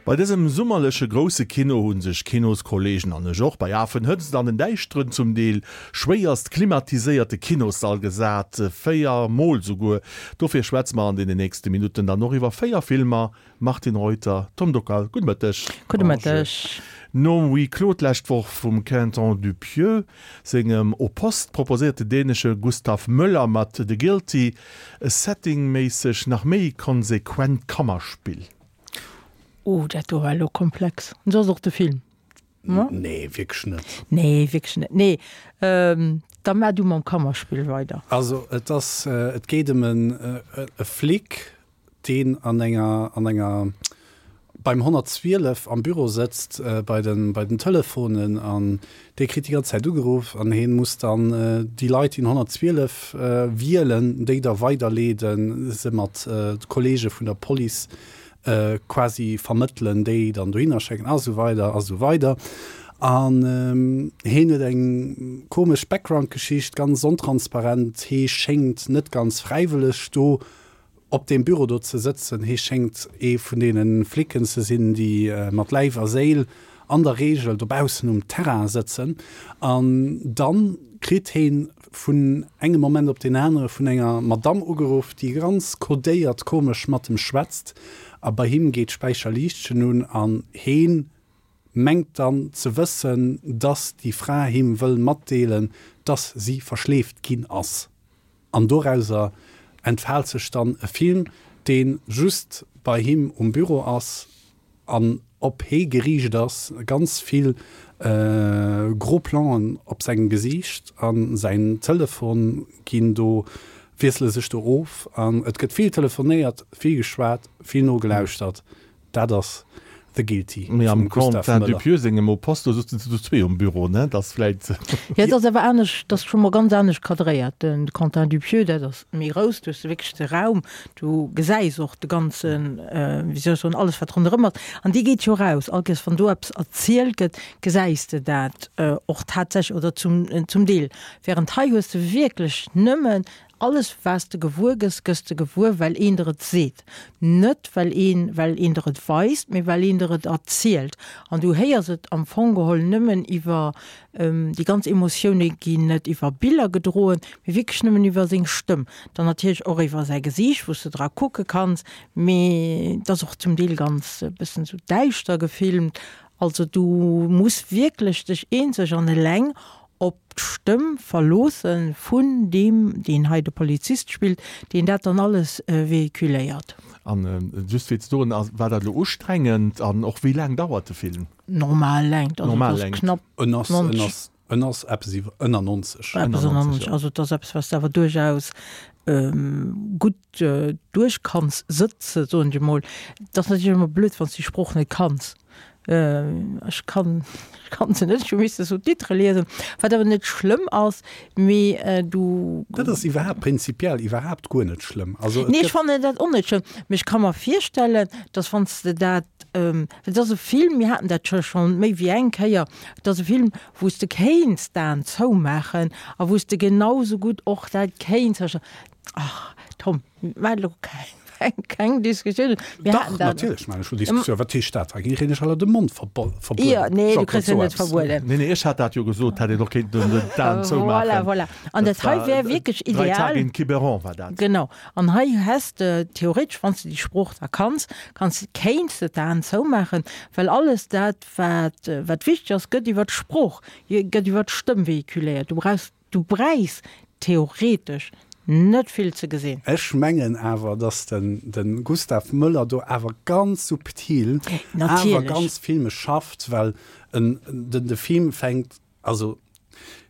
Bei dësem summerleche grousse Kino hu sech Kinoskollegen an ech och bei Afenhëtzt an den däischteren, zum Deel schwéierst klimatiséierte Kinossall gesat, 4 mol souguer. Dofir schwätze mer an deenen nächste Minutten dann och iwwer 4 Filmer. Martine Reuter, Tom Dockal, gudde Mëtteg. Gudde Mëtteg. Nom Huis clos d'lescht Woch vum Quentin Dupieux sengem Au poste proposéiert de dänesche Gustav Möller mat The Guilty e settingméisseg nach méi konsequent Kammerspill. Oh, dat do war elo komplex. An sou ass och de Film, ne? Nee, wierklech net. Nee, wierklech net. Nee, da maach du mam Kammerspill weider. Also et ass, et geet ëm en e Flic, deen an enger, an enger, beim 112 am Büro sëtzt, bei den, bei den Telefonen an dee kritt déi ganz Zäit ugeruff an heen muss dann déi Leit, déi den 112 wielen, déi da weiderleeden, se mat Kollege vun der Police quasi vermëttelen, déi dann dohinner schécken a sou weider a sou weider. An heen huet eng komesch Background-Geschicht, ganz ontransparent, hee schéngt net ganz fräiwëlleg do op deem Büro do ze sëtzen. Hee schéngt ee vun deene Flicken ze sinn, déi mat Läif a Séil an der Reegel dobaussen um Terrain sëtzen. An dann kritt hee vun engem Moment op deen anere vun enger Madamm ugeruff, déi ganz kodéiert komesch mat em schwätzt. A bei him geet d'Späicherliichtchen un an hee mengt dann ze wëssen, dass déi Fra him wëll matdeelen, dass si verschleeft ginn ass. An dorauser entfaalt sech dann e Film, dee just bei him um Büro ass an op hee geriicht ass, ganz vill gros Plan'en op sengem Gesiicht a säin Telefon ginn do, wiessele sech do of an et gëtt vill telefonéiert, vill geschwat, vill nogelauschtert. Dat ass The Guilty Mee am vum Gustav Quentin Möller. Dupieux sengem Au poste, do sëtzen se zu zwee um Büro, ne? Dat ass vläit. Jo, et ass awer anescht, et ass scho mol ganz anescht cadréiert. Den Quentin Dupieux, dat ass méi grouss, do hues de wierklech de Raum, du gesäis och de ganzen, wéi soll ech soen, alles wat ronderëm ass. An dee geet jo raus. All Kéiers wann do eppes erzielt gëtt, gesäis de dat och tatsächlech oder zum, zum Deel. Während hei hues de wierklech nëmmen Alles was de gewuer gëss, gëss de gewuer well een der et seet. Net well een, well een der et weist, mee well een der et erzielt. An du héiers et am Fong geholl nëmmen iwwer, déi ganz Emotioune ginn net iwwer Biller gedroen, mee wierklech nëmmen iwwer seng Stëmm. Dann natierlech och iwwer säi Gesiicht, wou s de dra kucke kanns, mee et ass och zum Deel ganz e bëssen esou däischter gefilmt. Also du muss wierklech dech eenzeg an eleng op d'Stëmm verloosse vun deem, deen hei de Polizist spillt, deen dat dann alles véhiculéiert. An just fir ze soen, war dat elo ustrengend an och wéi laang dauert de Film? Normal Längt, also et ass knapp 90. En ass eppes iwwer ënner 90. Eppes ënner 90, also et ass eppes, wat s de awer duerchaus gutt duerch kanns sëtzen, soen ech emol. Et ass natierlech ëmmer blöd, wann s de déi Sprooch net kanns. Ech kann, ech kann se net, ech hu misse Sous-titrë liesen, wat awer net schlëmm ass, mee du. Dat ass iwwerhaapt prinzipiell iwwerhaapt guer net schlëmm. Also et Nee, ech fannen dat och net schlëmm, mee ech ka mer virstellen, dass wann s de dat, et ass e Film, mir haten dat scho schonn méi wéi eng Kéier, et ass e Film, wou s de kéints d'Aen zoumaachen a wou s de genau sou gutt och dat kéints. Ach Tom, maach elo keng, keng Diskussioun. Mir Dach, haten dat. natierlech maachen ech elo Diskussioun. Wat heescht dat? Hei kréien ech aller de Mond verbueden. Jo, nee, du kriss en net verbueden. Nee, nee, ech hat dat jo gesot, hätt een och kéinten d'Aen zoumaachen. Voilà, voilà. An dat hei wär wierklech ideal. Drei Tage in Quiberon war dat. Genau. An hei häss de theoretesch, wann s de déi Sprooch da kanns, kanns, kéints de d'Aen zoumaachen, well alles dat, wat, wat wichteg ass, gëtt iwwer d'Sprooch, gëtt iwwer d'Stëmm véhiculéiert. Du brauchs Du bräichs theoretesch net vill ze gesinn. Ech mengen awer, dass den Gustav Möller do awer ganz subtil awer ganz filmesch schafft, well en den de Film fänkt, also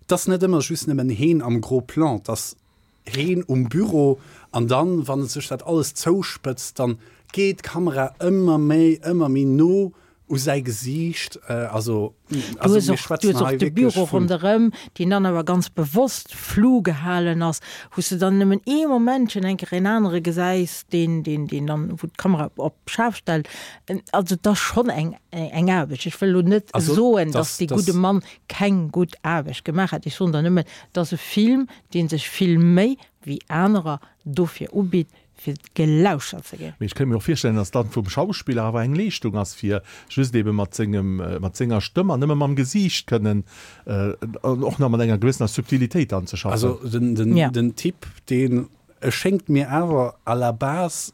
et ass net ëmmer just nëmmen heen am Gros Plan, et ass heen um Büro an dann, wann sech dat alles zouspëtzt, dann geet d'Kamera ëmmer méi, ëmmer méi no u säi Gesiicht, also Du hues och, du hues och de Büro ronderëm, deen dann awer ganz bewosst flou gehalen ass, wou s de dann nëmmen ee Momentchen eng Kéier een anere gesäis, deen, deen, deen dann, wou d'Kamera op schaarf stellt. Also et ass schonn eng, eng Aarbecht. Ech wëll elo net soen, datt dee gudde Mann keng gutt Aarbecht gemaach hätt. Ech soen der nëmmen, et ass e Film, dee sech vill méi wéi anerer dofir ubitt. Fir gelauschert ze ginn. Mee ech kéint mir och virstellen, dass dann vum Schauspiller awer eng Leeschtung ass, fir just ebe mat sengem, mat senger Stëmm an nëmme mam Gesiicht kënnen an och nach mat enger gewëssener Subtilitéit dann ze schaffen. Also den, den, ja. den Typ, deen schéngt mir awer à la base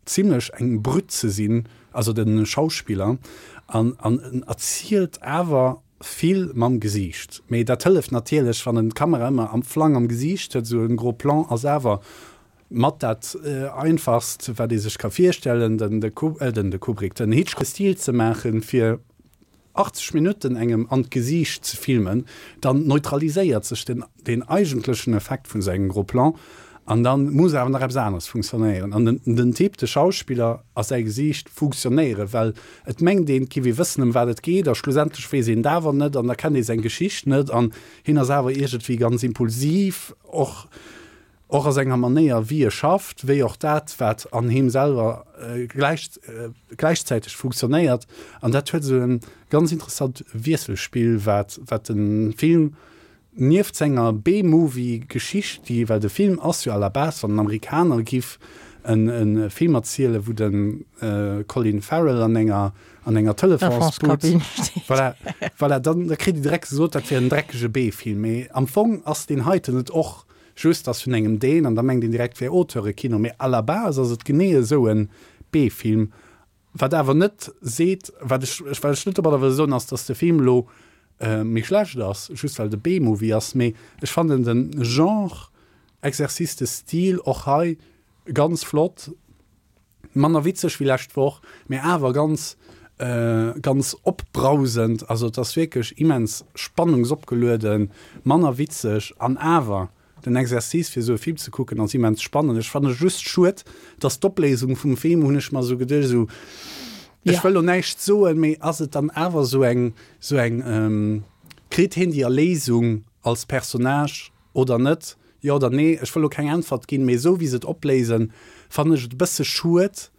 zimlech eng Brütt ze sinn, also de Schauspiller, an, an en erzielt awer vill mam Gesiicht. Mee dat hëlleft natierlech, wann en d'Kamera ëmmer am Flang am Gesiicht huet, esou en gros Plan ass awer Mat dat einfachst wat ee sech ka virstellen, den de Kubrick, den Hitchcock Stil ze maachen, fir 80 Minutten engem an d'Gesiicht ze filmen, dann neutraliséiert sech den den eigentlechen Effekt vun esou engem Gros Plan an dann muss awer nach eppes aneres funktionéieren. An den den Typ, de Schauspiller a säi Gesiicht funktionéieren, well et mengt een, et giff ee wëssen ëm wat et geet a schlussendlech weess een et awer net an da kennt ee seng Geschicht net an hien ass awer iergendwéi ganz impulsiv och. Och a senger Manéier wéi e schafft, wéi och dat wat an him selwer gläichzäiteg funktionéiert. An dat huet esou e ganz interessant Wiesselspill, wat wat de Film nieft senger B-Movie-Geschicht, déi, well de Film ass jo à la base, wann en Amerikaner giff e Film erzielen, wou de Colin Farrell an enger an enger Telefonsbooth, voilà, voilà, dann da kritt e direkt gesot, dat wier en dreckege B-Film. Mee am Fong ass deen heiten et och. Just ass vun engem Dän an da mengt een direkt wär Auteurekino, mee à la base ass et genee esou en B-Film. Wat awer net seet, wat ech wat ech net domadder wëll soen ass, dass de Film elo méi schlecht ass, just well et e B-Movie ass, mee ech fannen den Genre Exercice de style och hei ganz flott. Manner witzeg wéi lescht Woch, mee awer ganz, ganz opbrausend. Also et ass wierklech immens spannungsopgelueden, manner witzeg an awer den Exercice fir esou e Film ze kucken ass immens spannend. Ech fanne just schued, dass d'Opléisung vum Film, hunn ech mer esou geduecht, esou, ech wëll lo näischt soen, mee ass et dann awer esou eng, esou eng, kritt hien déi Erléisung als Personnage Oder net? Jo oder nee? Ech wëll lo keng Äntwert ginn, mee esou wéi se et opléisen, fannen ech et e bësse schued,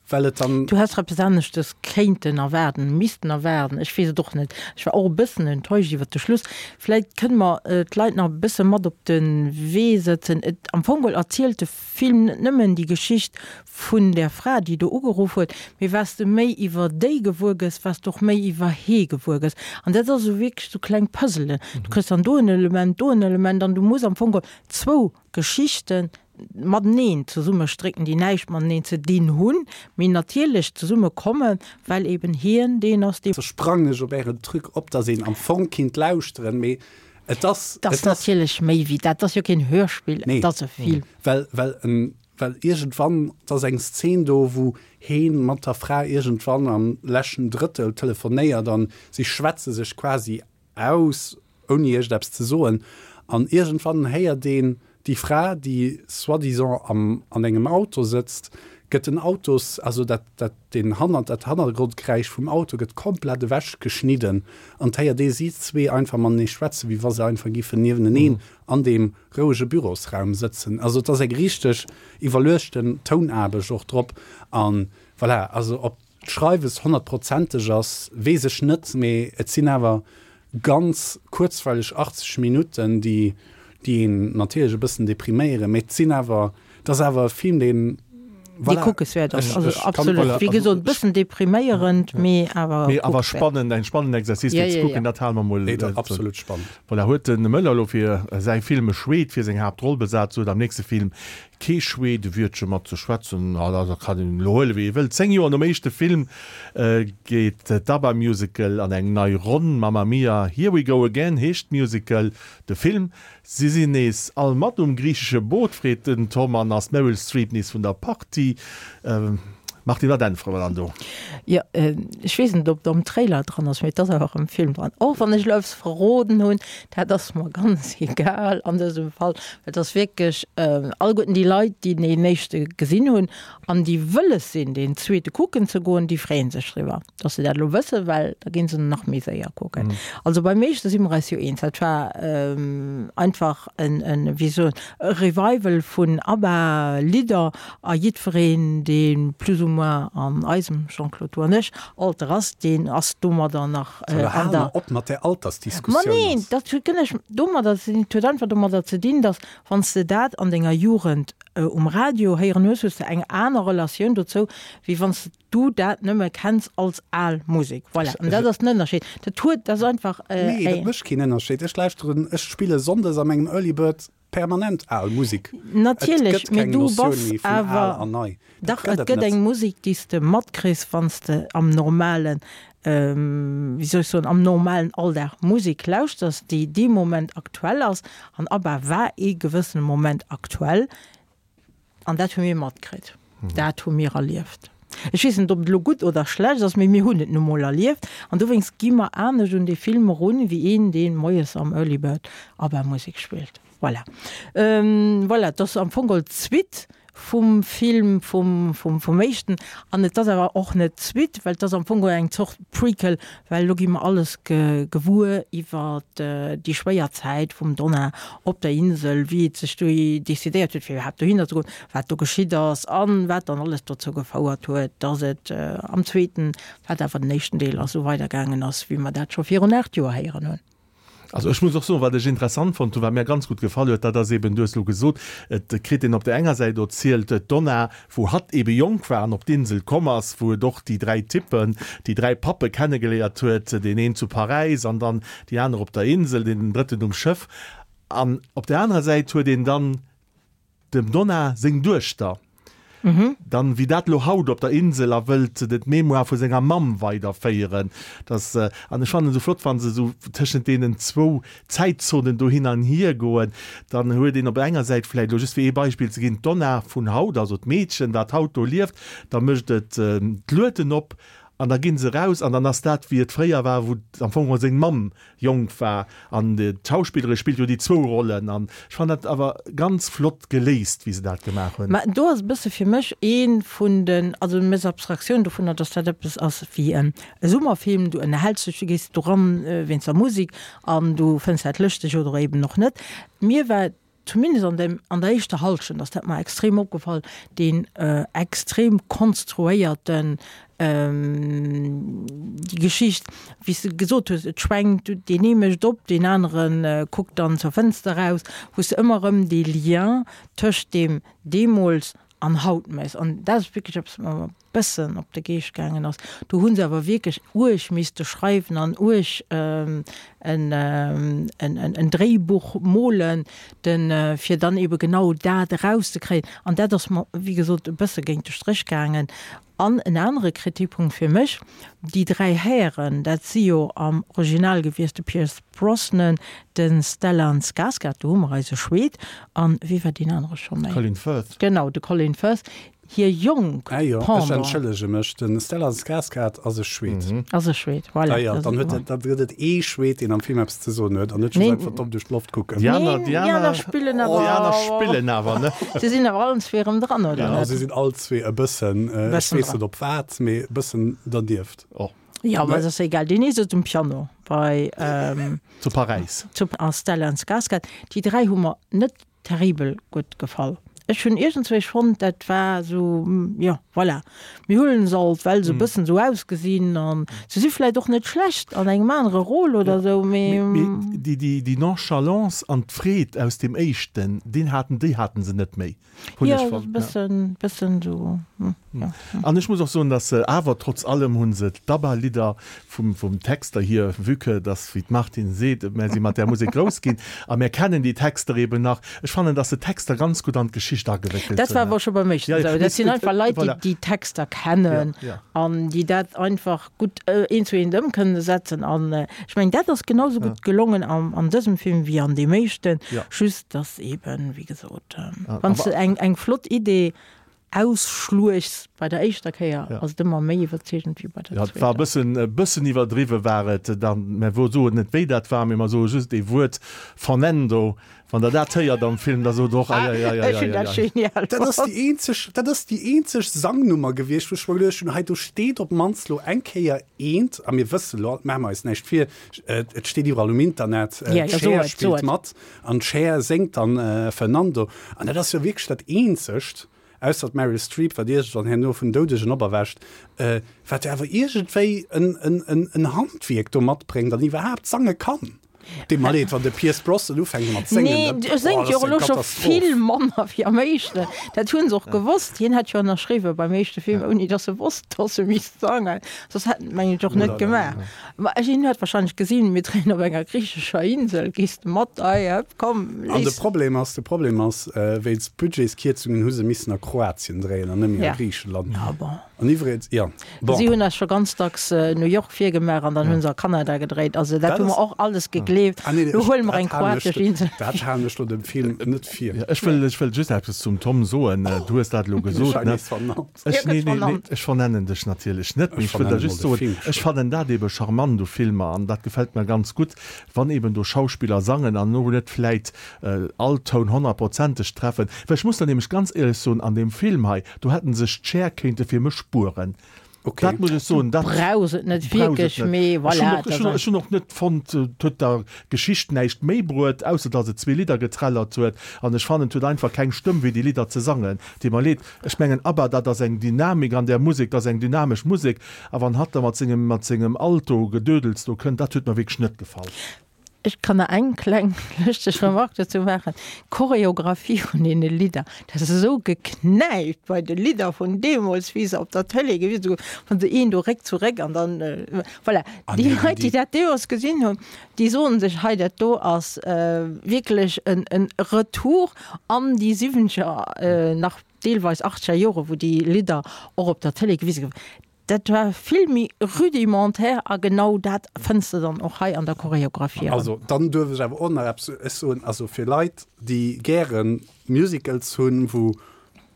well et dann. Du häss eppes aneschtes kéinten erwaarden, missten erwaarden, ech weess et och net. Ech war och e bëssen enttäuscht iwwert de Schluss. Vläit kënne mer d'Leit nach e bësse mat op de Wee sëtzen. Et, am Fong geholl erzielt de Film net nëmmen déi Geschicht vun där Fra, déi do ugeruff huet, mee wat s de méi iwwer déi gewuer gëss, wat s de och méi iwwer hee gewuer gëss. An dat ass esou wierklech esou kleng Puzzelen. Du kriss dann do en Element, do en Element an du muss am Fong geholl zwou Geschichte mateneen zesummestrécken, déi näischt mateneen ze dinn hunn, mee natierlech zesumme kommen, well eben hien deen ass, dee. Da sprangen ech op Ären Truc op, dass een am Fong kinnt lauschteren, mee et ass. Et ass natierlech méi wéi dat. Et ass jo keen Hörspill, et ass e Film. Well, well en, well iergendwann, et ass eng Szen do, wou heen mat der Fra iergendwann am leschten Drëttel telefonéiert an si schwätze sech quasi aus, ouni iergendeppes ze soen. An iergendwann héiert een déi Fra, déi soi-disant am, an engem Auto sëtzt, gëtt den Autos, also dat, dat, deen Hanner, dat Hannergrondgeräisch vum Auto gëtt komplett ewech geschnidden an et héiert ee si zwee einfach matenee schwätzen, wéi wa se einfach giffen nieweneneen an deem rouege Bürosraum sëtzen. Also et ass eng richteg iwwerluechten Tounaarbecht och drop. An voilà, also ob d'Schreiwes honnertprozenteg ass, weess ech net, mee et sinn awer ganz kuerzweileg 80 Minutten, déi déi een natierlech e bëssen depriméieren, mee et sinn awer, et ass awer e Film, deen, Dee voilà, kuckeswäert ass. Also absolut, wéi gesot, e bëssen depriméierend, mee awer Mee awer kuckeswäert. spannend, eng spannend Exercice fir ze kucken, dat hale mer mol. Nee, dat absolut spannend. Voilà, huet de Möller elo fir säi Film e Schweed fir seng Haaptroll besat, sou huet am nächste Film kee Schweed e Wiertche mat ze schwätzen. Ah, dat kann een elo huele wéi ee wëllt. 10 Joer nom éischte Film geet d'ABBA-Musical an eng nei Ronn. Mamma Mia, Here We Go Again heescht d'Musical. De Film Si sinn nees all mat um griichesche Boot, freet den Tom, an ass d'Meryl Streep nees vun der Partie? Martine, wat äntwere mer dann do? Jo, ech weess net, ob et am Trailer dran ass, mee et ass awer am Film dran. Och wann ech elo eppes verroden hunn, dat ass mer ganz egal an dësem Fall, well et ass wierklech, alleguerten déi Leit, déi deen éischte gesinn hunn an déi wëlles sinn, deen zweete kucken ze goen, déi freeë sech driwwer, dass se dat elo wëssen, well da ginn se en nach méi séier kucken. Also beim éischte si mer eis jo eens, dat war einfach en, en, wéi soen, e Revival vun ABBA-Lidder a jiddwereen, dee plus ou moins. moins an eisem, Jean-Claude, du an ech, Alter ass, deen ass domadder nach an der. Hal mer op mat där Altersdiskussioun. Ma neen, dat huet guer näischt domadder ze dinn. Et huet einfach domadder ze dinn, datt wann s de dat an denger Jugend um Radio héieren hues, hues de eng aner Relatioun dozou, wéi wann s du dat nëmme kenns als al Musek. Voilà, an dat ass den Ënnerscheed. Dat huet, dat ass einfach. Nee, dat mécht keen Ënnerscheed. Ech lauschteren, ech spille sonndes a mengem Early Bird permanent al Musek. Natierlech, mee du bass awer, dach, et gëtt eng Musek, déi s de matkriss, wann s de am normalen, wéi soll ech soen, am normalen Alldag Musek lauschters, déi dee Moment aktuell ass. An ABBA war ee gewëssene Moment aktuell. An dat hu mir matkritt. Dat hu mir erlieft. Ech weess net, ob et elo gutt oder schlecht ass, mee mir hunn et nu mol erlieft. An dowéinst gi mer anescht un dee Film erun, wéi een, dee moies am Early Bird ABBA-Musek spillt. Voilà. Voilà, et ass am Fong geholl d'Suite vum Film vum, vum, vum éischten. An et ass awer och net d'Suite, well et ass am Fong geholl eng Zort Prequel, well elo gi mer alles gewuer iwwer déi schwéier Zäit vum Donna op der Insel, wéi et sech do decidéiert huet, fir iwwerhaapt dohinner ze goen, wat do geschitt ass an wat dann alles dozou gefouert huet, dass et am zweeten, wat awer den éischten Deel ass, esou weidergaangen ass, wéi mer dat scho virun 8 Joer héieren hunn. Also ech muss och soen, wat ech interessant fonnt hunn, wat mär ganz gutt gefall huet, dat ass eben, du hues elo gesot, et kritt een op där enger Säit erzielt, d'Donna, wou hatt ebe jonk war an op d'Insel komm ass, wou et och déi 3 Typen, déi 3 Pappe kennegeléiert huet, deen een zu Paräis an dann déi aner op der Insel, deen drëtten um Schëff. An op där anerer Säit huet een dann Dem Donna seng Duechter, dann wéi dat lo haut op der Insel a wëllt de d'Mémoire vu senger Mamm weiderféieren. Dass, an ech fannen esou flott, wa se esou tëschent deenen zwou Zäitzonen do hin an hier goen, dann huet een op enger Säit vläicht, elo just fir ee Beispill ze ginn, d'Donna vun haut, also d'Meedchen, wat haut do lieft, da mécht et d'Lueden op an da gi se eraus an dann ass dat wéi et fréier war, wou am Fong geholl seng Mamm jonk war an d'Schauspillerin spillt jo déi zwou Rollen an ech fannen dat awer ganz flott geléist wéi se dat gemaach hunn. Mä do ass e bësse fir mech ee vun den, also méchs Abstraktioun dovunner, datt dat eppes ass wéi e Summerfilm, du ënnerhäls dech, du gees doran wéinst der Musek an du fënns dat lëschteg oder eben och net. Mir war zumindest an dem, an der éischter Halschent ass dat mer extrem opgefall, deen extrem konstruéierten, déi Geschicht, wéi s de gesot hues, et schwenkt, deen ee mécht op, deen anere kuckt dann zur Fënster eraus, wou s de ëmmer erëm dee Lien tëscht deem deemools an haut méchs. An dat ass wierklech eppes, wat mer bëssen op de Geescht gaangen ass. Do hu se awer wierklech uerg misste schreiwen an uerg en, en, en Dréibuch molen, den, fir dann ebe genau dat erauszekréien. An dat ass mer, wéi gesot, e bësse géint de Stréch gaangen. An en anere Kritikpunkt fir mech, déi 3 Hären, dat si jo am Original gewiescht de Pierce Brosnan, de Stellan Skarsgård, do hu mer eise Schweed, an wie war deen anere scho méi? Colin Firth. Genau, de Colin Firth. Hir jonk Ah jo, ech Pendant. entschëllege mech, de Stellan Skarsgård ass e Schweed. Ass e Schweed, voilà. Ah jo, dann huet et, dann gëtt et ee Schweed, deen am Film eppes ze soen huet, an net just Nee. einfach domm duerch d'Loft kucken. Déi aner, Neen, déi déi aner aner, spillen déi awer. aner spillen awer, ne? Se sinn awer allen zwee erëm dran, oder Ja, net? se sinn all zwee e bëssen, ech Bëssen weess dran. net op wat, mee e bëssen dernieft. Oh. Jo, ma et ass egal. Deen ee sëtzt um Piano bei, Zu Paräis. zu, a Stellan Skarsgård. Déi 3 hu mer net terribel gutt gefall. Ech hunn iergendzwéi fonnt, dat war esou, jo, voilà, mir huelen se alt, well se e bëssen esou ausgesinn an se si vläicht och net schlecht an engem anere Rôle oder esou, mee. Mee déi, déi, déi Nonchalance an d'Freed aus deem éischten, deen haten, déi haten se net méi, hunn Jo, ech fonnt. e bëssen, bëssen esou, jo. An ech muss och soen, dass se awer trotz allem hu se d'ABBA-Lidder Vum, vum Texter hier, vue que dass, wéi d'Martine seet, mär si mat där Musek grouss ginn a mär kennen déi Texter eben nach. Ech fannen, dass se d'Texter ganz gutt an d'Geschicht agewéckelt Dat war hunn. awer scho beim éischten Ja, ja, esou. mee Dat sinn et, einfach et, Leit, déi voilà. déi Texter kennen Ja, ja. an déi dat einfach gutt eent zu eent ëm kënne setzen. An ech mengen, dat ass genau sou Ja. gutt gelongen am, an dësem Film wéi an deem éischten. Ja. Just dass eben, wéi gesot, A, wann s awer. de eng, eng flott Idee ausschluechs bei der éischter Kéier, ass et ëmmer méi iwwerzeegend wéi bei der Ja, et war e zweeter. bëssen, e bëssen iwwerdriwwe war et dann. Mä wou soen net, wéi dat war, mee mer soe just ee Wuert, Fernando. Wann Der dat héiert am Film, da sot Der och, Ah, ech hunn dat Eieieiei. genial Dat ass fonnt. déi eenzeg, dat ass déi eenzeg Sangnummer gewiescht, wou ech mer geduecht hunn, hei do steet op d'mannst lo eng Kéier eent, a mir wësse lo, maache mer eis näischt vir, et steet iwwerall um Internet, Ja, ja, d'Cher so et, so spillt et. mat an d'Cher séngt dann Fernando. An dat ass jo wierklech dat eenzegt. Ausser d'Meryl Streep, wat iergendwann herno vun Doudegen operwächt, wat jo awer iergendwéi en Handwierk do matbréngt an iwwerhaapt sange kann. Deet mer leed, wann de Pierce Brosnan ufänkt mat séngen, Nee, dat, e séngt oh, jo dat och ass eng elo scho Katastroph. vill manner wéi am éischten. Dat hu se och gewosst. Hien hätt jo ënnerschriwwe beim éischte Film, ouni datt e wosst, datt e misst sangen. Soss hätt en et, mengen ech, och net gemaach. Ma hien huet wahrscheinlech gesinn, mir dréien op enger griichescher Insel, gees de mat? Ei, hëpp, komm, An de léiss. Problem ass, de Problem ass, wéinst Budgetskierzungen hu se missen a Kroatien dréien an net méi a Ja. Griichenland. Ja, bon. An iwwregens, jo, bon. Si hunn eis scho ganz dacks New York virgemaach an dann hunn se a Kanada gedréit. Also dat Dat hu mer ass. och alles gegleeft. Ah nee, Lo ech, huele mer dat eng halen ech, kroatesch Insel. dat halen ech lo dem Film net vir. Ja, ech wëll, ech wëll just eppes zum Tom soen. Du hues dat elo Ginn ech gesot, hei ne? nees vernannt? Ech, Hie nee, gëtt nee, nee, vernannt. ech vernennen dech natierlech net, mee Ech ech wëll der vernennen just mol de soen, Film ech scho. fannen dat ebe charmant u Filmer an dat gefält mer ganz gutt, wann eben do Schauspiller sangen an elo net vläit all Toun honnertprozenteg treffen. Well ech muss der nämlech ganz éierlech soen, an deem Film hei, Do hätten sech d'Chair kéinte fir mech spueren. Okay. Dat muss ech soen, dat Brauchs et net brauchs et wierklech, net. mee Ech hunn voilà, och, ech dat hunn, ass. ech hunn och net fonnt, et huet der Geschicht näischt méi bruet, ausser datt et zwee Lidder getrellert huet. An ech fannen, et huet einfach keng Stëmm wéi déi Lidder ze sangen. Deet mer leed. Ech mengen, ABBA, dat ass eng Dynamik an där Musek, dat ass eng dynamesch Musek. A wann hatt da mat sengem, mat sengem Alto-Gedödels do kënnt, dat huet mer wierklech net gefall. Ech kann nach eng kleng lëschteg Remarque dozou maachen, D'Choreographie vun deene Lidder, dat ass esou geknäipt bei de Lidder vun deemools, wéi se op der Tëlee gewisen goufen, wann se een do Réck zu Réck an dann, voilà. An Déi eben Leit, déi déi. dat deemools gesinn hunn, déi soen sech, hei dat do ass wierklech en Retour an déi siwwenzeger, nach deelweis achtzeger Jore, wou déi Lidder och op der Tëlee gewise goufen. Dat war vill méi rudimentaire a genau dat fënns de dann och hei an der Choreographie erëm. Also dann duerf ech awer och nach eppes soen, also fir Leit déi gäre Musicals hunn, wou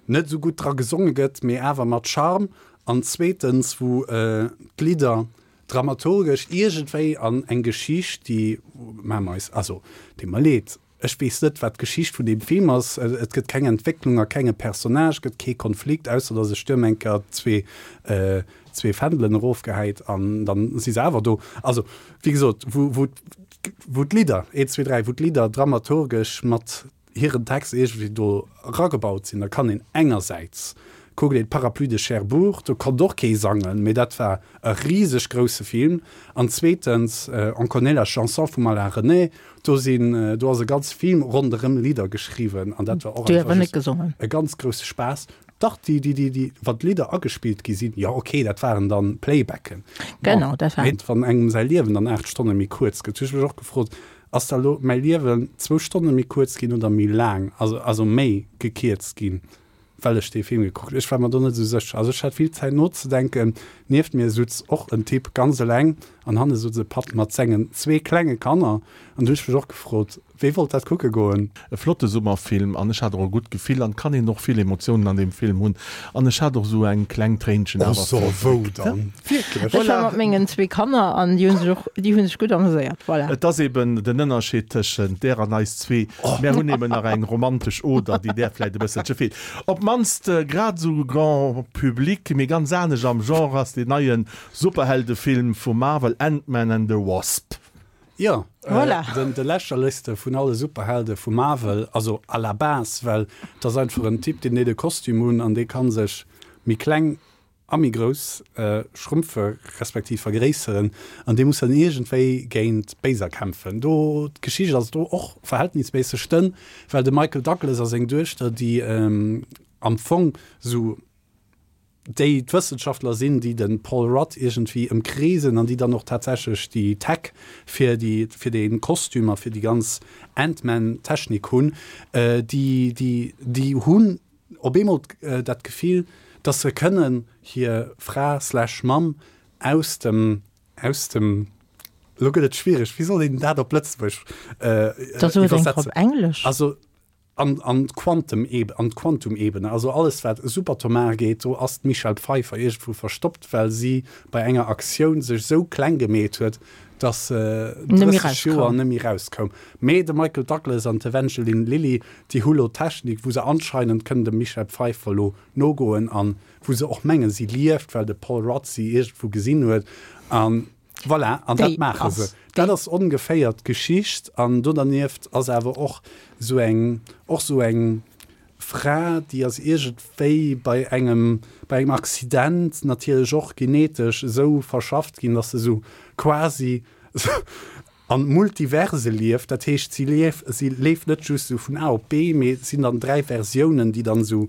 net esou gutt dra gesonge gëtt, mee awer mat Charme an zweetens wou d'Lidder dramaturgesch iergendwéi an eng Geschicht, déi, maache mer eis, also deet mer leed, Ech weess net, wat d'Geschicht vun deem Film ass. Et gëtt keng Entwécklung a kenge Personnage, gëtt kee Konflikt, ausser datt e Stuerm eng Kéier zwee Fändelen erofgehäit an dann si se awer do. Also, wéi gesot, wou, wou, wou d'Lidder, eent, zwee, dräi, wou d'Lidder dramaturgesch mat hiren Text iergendwéi do eragebaut sinn, da kann een engersäits kuckt een Parapluie de Cherbourg, do konnt och kee sangen, mee dat war e riseg grousse Film. An zweetens On connaît la chanson vum Alain René, Do sinn, do ass e ganz Film ronderëm Lidder geschriwwen an dat war och Déi einfach awer net just gesongen. e ganz grousse Spaass. Dach, déi, déi, déi, déi, wann d'Lidder agespillt gi sinn, jo ok, dat waren dann Playbacken. Bon, Genau, dat war. mee wann engem säi Liewen dann 8 Stonne méi kuerz gëtt, hu ech mech och gefrot, ass da lo mäi Liewen zwou Stonne méi kuerz ginn oder méi laang, also, also méi gekierzt ginn? Well ech dee Film gekuckt hunn. Ech war mer do net esou sécher. Also ech hat vill Zäit nozedenken. Nieft mir sutz och en Typ ganz eleng an hanne sutz e Papp mat sengen zwee klenge Kanner. An du hunn ech mech och gefrot, wee wollt dat kucke goen? E flotte Summerfilm an ech hat och e gutt Gefill an kann een och vill Emotiounen an deem Film hunn an ech hat och esou eng kleng Tréinchen Oh awer so, wou verdréckt. dann? Wierklech? Ech war mat mengen zwee Kanner an déi hunn sech och, déi hunn sech gutt ameséiert. Voilà. Et ass eben den Ënnerscheed tëschent där an eis zwee. Mär hunn eben nach eng romantesch Oder, déi där vläit e bësselche feelt. Op d'mannst grad esou Grand Public, mee ganz anescht am Genre ass deen neie Superheldefilm vu Marvel, Ant-Man and the Wasp. Jo, Voilà. den de lächerlechste vun alle Superhelde vu Marvel, also à la base, well et ass einfach en Typ, deen deet e Kostüm un an dee ka sech méi kleng a méi grouss schrumpfe respektiv vergréisseren an dee muss dann iergendwéi géint Béiser kämpfen. Do, d'Geschicht ass do och verhältnisméisseg dënn, well de Michael Douglas a seng Duechter, déi am Fong esou déi d'Wëssenschaftler sinn, déi de Paul Rudd iergendwéi ëmkreesen an déi dann och tatsächlech déi Tech fir déi, fir dee Kostüm a fir déi ganz Ant-Man-Technik hunn, déi, déi, déi hunn op eemol dat Gefill, dass se kënnen hir Fra slash Mamm aus dem, aus dem, elo gëtt et schwiereg, wéi soll een dat op Lëtzebuergesch Da so et eng Kéier op iwwersetzen? Englesch. Also an, an d'Quantum-Eb-, an d'Quantum-Ebene, also alles wat superatomar geet, do ass d'Michelle Pfeiffer iergendwou verstoppt, well si bei enger Aktioun sech esou kleng gemeet huet, dass se Net méi 30 Joer rauskoum. net méi rauskoum. Mee de Michael Douglas an d'Evangeline Lilly, Déi hu lo Technik, wou se anscheinend kënnen dem Michelle Pfeiffer lo nogoen an wou se och mengen, si lieft, well de Paul Rudd si iergendwou gesinn huet. An voilà, an dat Déi maache se. ass Dat déi. ass ongeféier d'Geschicht. An do dernieft ass awer och sou eng, och sou eng. Fra, déi ass iergendwéi bei engem, bei engem Accident natierlech och genetesch esou verschafft ginn, dass se esou quasi an Multiverse lieft. Dat heescht, si lief, si leeft net just esou vun A op B, mee et sinn dann 3 Versiounen, déi dann esou,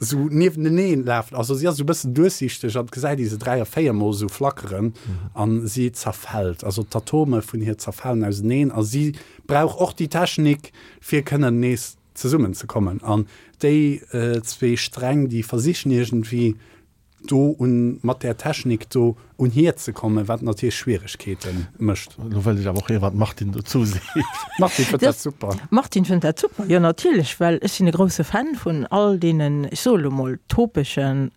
esou niewenteneen lafen. Also si ass esou e bëssen duerchsichteg an et gesäit ee se 3 a 4 mol esou flackeren an si zerfält. Also d'Atome vun hir zerfalen auseneen a si brauch och déi Technik, fir kënnen nees zesummen ze kommen an déi zwee Sträng déi versichen iergendwéi do un mat där Technik do un hir ze kommen, wat natierlech Schwieregkeete mécht. Elo wëll ech awer och héieren, wat d'Martine dozou seet. D'Martine fënnt dat super. D'Martine fënnt dat super, jo natierlech, well ech sinn e grousse Fan vun all deenen, ech soe lo mol, topeschen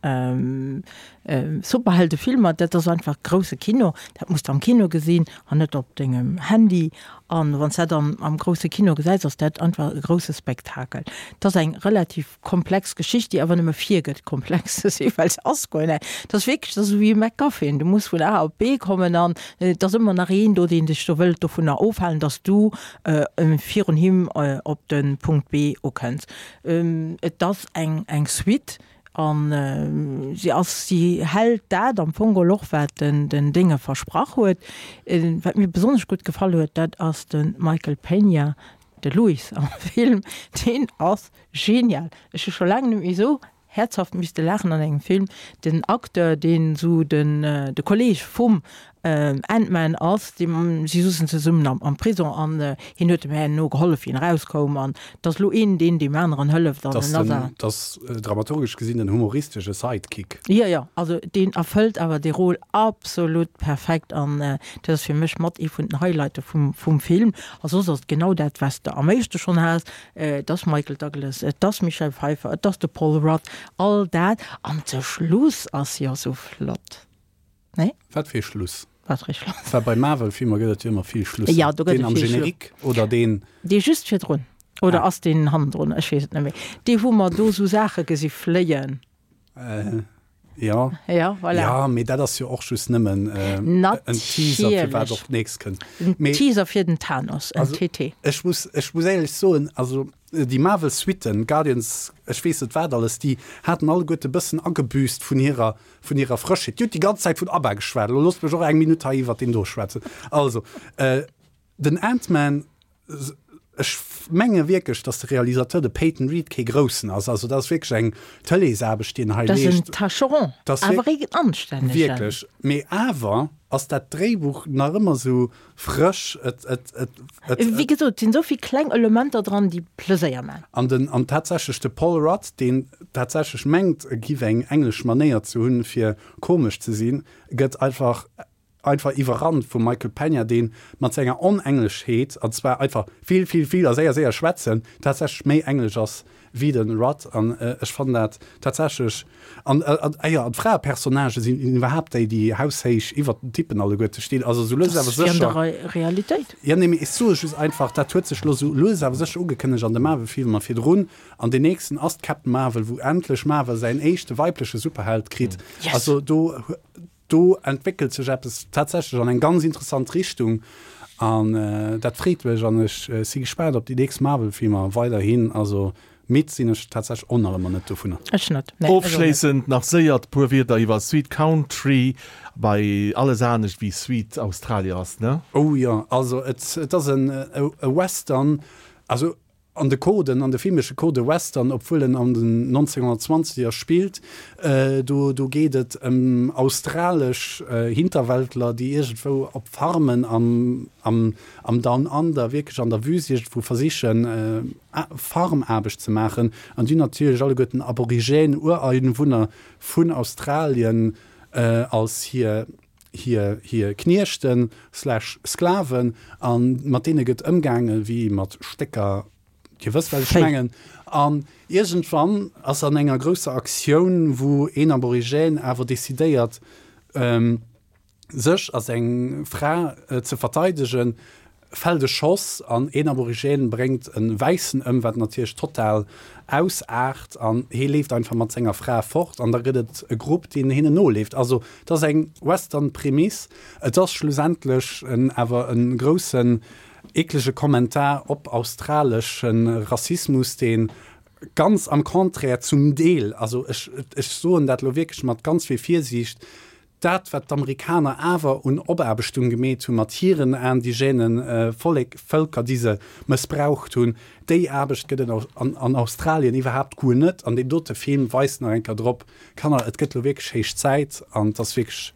Superheldefilmer. Dat ass einfach grousse Kino, dat muss de am Kino gesinn an net op dengem Handy. An wann s dat am am grousse Kino gesäis, ass dat einfach e grousse Spektakel. Et ass eng relativ komplex Geschicht, déi awer nëmme virgëtt komplex ze sinn, well se ass guer net. Et ass wierklech, et ass esou wéi e MacGuffin, du muss vun A op B kommen an et ass ëmmer nach een do, deen dech do wëllt dovunner ofhalen, dass du virun him op de Punkt B ukënns. Et ass eng eng Suite An si ass, si hält dat am Fong geholl och, wat den den Dénge versprach huet. Wat mir besonnesch gutt gefall huet, dat ass de Michael Peña, de Louis am Film, deen ass genial. Ech hu scho laang net méi esou häerzhaft misste laachen an engem Film. Den Acteur, deen esou den de Kolleeg vum Ant-Man ass, dee si souzen zesummen am am Prison an hien huet dem herno gehollef wéi en erauskoum an et ass elo een deen deem aneren hëlleft an en ass awer. Dat ass dramaturgesch gesinn en humoristesche Sidekick. Jo jo, also deen erfëllt awer dee Rôle absolut perfekt an dat ass fir mech mat ee vun den Highlighte vum vum Film. A soss ass et genau dat wat s de am éischte schonn has, et ass Michael Douglas, et ass Michelle Pfeiffer, et ass de Paul Rudd, all dat an de Schluss ass jo sou flott. Nee? Wat fir ee Schluss? Wat fir ee Schluss? Well bei Marvel-Filmer gëtt et jo ëmmer vill Schlusser. Ja, do gëtt et vill Deen am Générique oder deen. Dee just virdrun. Oder ah. ass deen hannendrun? Ech weess et net méi. Dee wou mer do sou Saache gesi fléien. Äh, ja. Ja, voilà. Ja, mee dat ass jo och just nëmmen äh, en Teaser fir wat och d'nächst kënnt. En Teaser fir den Thanos, en also, TT. Ech muss, ech muss éierlech soen, also déi Marvel-Suitten, Guardians, ech weess net wat alles, déi haten alleguerte bëssen agebüßt vun hirer vun hirer Frëschheet. Dir hutt déi ganz Zäit vun ABBA geschwat, elo loosst mech och eng Minutt hei iwwert deen do schwätzen. Also, den Ant-Man, ech menge wierklech, datt de Realisateur, de Peyton Reed, kee Groussen ass. Also dat ass wierklech eng Tëleesaarbecht, déi en hei leescht. Dat ass en Tâcheron, awer ee anstännegen. Wierklech. Mee awer ass dat Dréibuch nach ëmmer esou frësch, et, et, et, et. Wéi gesot, et sinn esou vill kleng Elementer dran, déi Pleséier man. An den, an tatsächlech de Paul Rudd, deen tatsächlech mengt, e giff eng englesch Manéier ze hunn, fir komesch ze sinn, gëtt einfach, einfach iwwerrannt vum Michael Peña, deen mat senger Onengleschheet, an zwar einfach vill, vill, vill a séier, séier schwätzen, tatsächlech méi englesch ass wéi de Rudd an ech fannen dat tatsächlech an ah jo an d'Fraepersonnagë sinn iwwerhaapt déi déi haushéich iwwert den Typen alleguerte stinn, also sou lues awer sécher. Dat ass wéi an der Realitéit. Jo nee mee ech soe just einfach dat huet sech lo sou lues awer sécher ugekënnegt an de Marvel-Filmer virdrun an deen nächsten ass d'Captain Marvel wou endlech Marvel säin éischte weibleche Superheld kritt, also do Do entwéckelt sech eppes tatsächlech an eng ganz interessant Richtung an dat freet mech an ech si gespaant op déi nächst Marvel-Filmer weiderhin. Also midd sinn ech tatsächlech och nach ëmmer net dovunner. Ech net, nee, ech och net. Ofschléissend nach séier puer Wierder iwwer Sweet Country, bei alles anescht wéi Sweet Australia ass, ne? Oh jo, also et ass en e Western, also An de Coden, an de filmesche Code Western, obwuel en an den 1920er spillt, do, do geet et ëm australesch Hinterwäldler, déi iergendwou op Farmen am, am, am Down Under, wierklech an der Wüst iergendwou versichen, Farmaarbecht ze maachen. An déi hunn natierlech alleguerten Aborigène, Ureinwunner vun Australien als hir, hir hir Kniechten slash Sklaven an mat deene gëtt ëmgaange wéi mat Stécker, Dir wësst wat ech mengen. An iergendwann ass an enger grousser Aktioun, wou een Aborigène awer decidéiert sech a seng Fra ze verteidegen, fält e Schoss an een Aborigène bréngt e Wäissen ëm, wat natierlech total ausaart an hee leeft einfach mat senger Fra fort an da gëtt et e Grupp, deen hinnen noleeft. Also et ass eng Western-Prämiss, et ass schlussendlech en awer e groussen eeklege Kommentar op australesche Rassismus, dee. Ganz am Contraire zum Deel, also ech, ech soen dat elo wierklech mat ganz vill Virsiicht, dat wat d'Amerikaner awer un Opaarbechtung gemeet hu mat hiren indigène Vollek, Vëlker, déi se mëssbraucht hunn, déi Aarbecht gëtt et an, an Australien iwwerhaapt guer net. An deen dote Film weist nach eng Kéier drop, Kanner, et gëtt elo wierklech héich Zäit an et ass wierklech.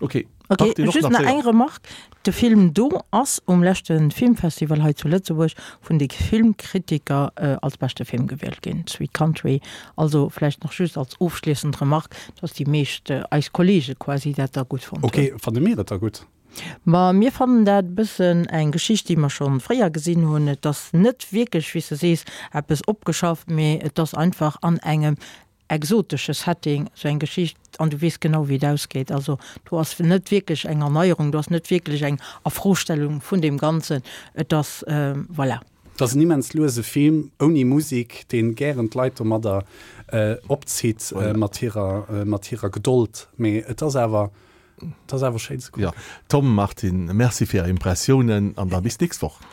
Ok, Ok, Martine, och just nach nach séier. eng Remarque, De Film do ass um leschte Filmfestival hei zu Lëtzebuerg vun de Filmkritiker als beschte Film gewielt ginn, Sweet Country. Also vläicht nach just als ofschliessend Remarque, dass déi meescht eis Kollege quasi dat da gutt fonnt hunn. Ok, fanne mir et da gutt? Ma mir fannen dat e bëssen eng Geschicht, déi mer scho fréier gesinn hunn. Et ass net wierklech, wéi s de sees, eppes opgeschafft, mee et ass einfach an engem exotesche Setting, sou eng Geschicht, an du weess genau wéi et ausgeet. Also do ass net wierklech eng Erneierung, do ass net wierklech eng Afrostellung vun deem Ganzen. Et ass, voilà. Et ass en immens luese Film, ouni Musik, deen gären d'Leit domadder opzitt mat hirer, mat hirer Gedold. Mee et ass awer, et ass awer schéin ze kucken. Jo, Tom, Martine, merci fir är Impressiounen an da bis d'nächst Woch.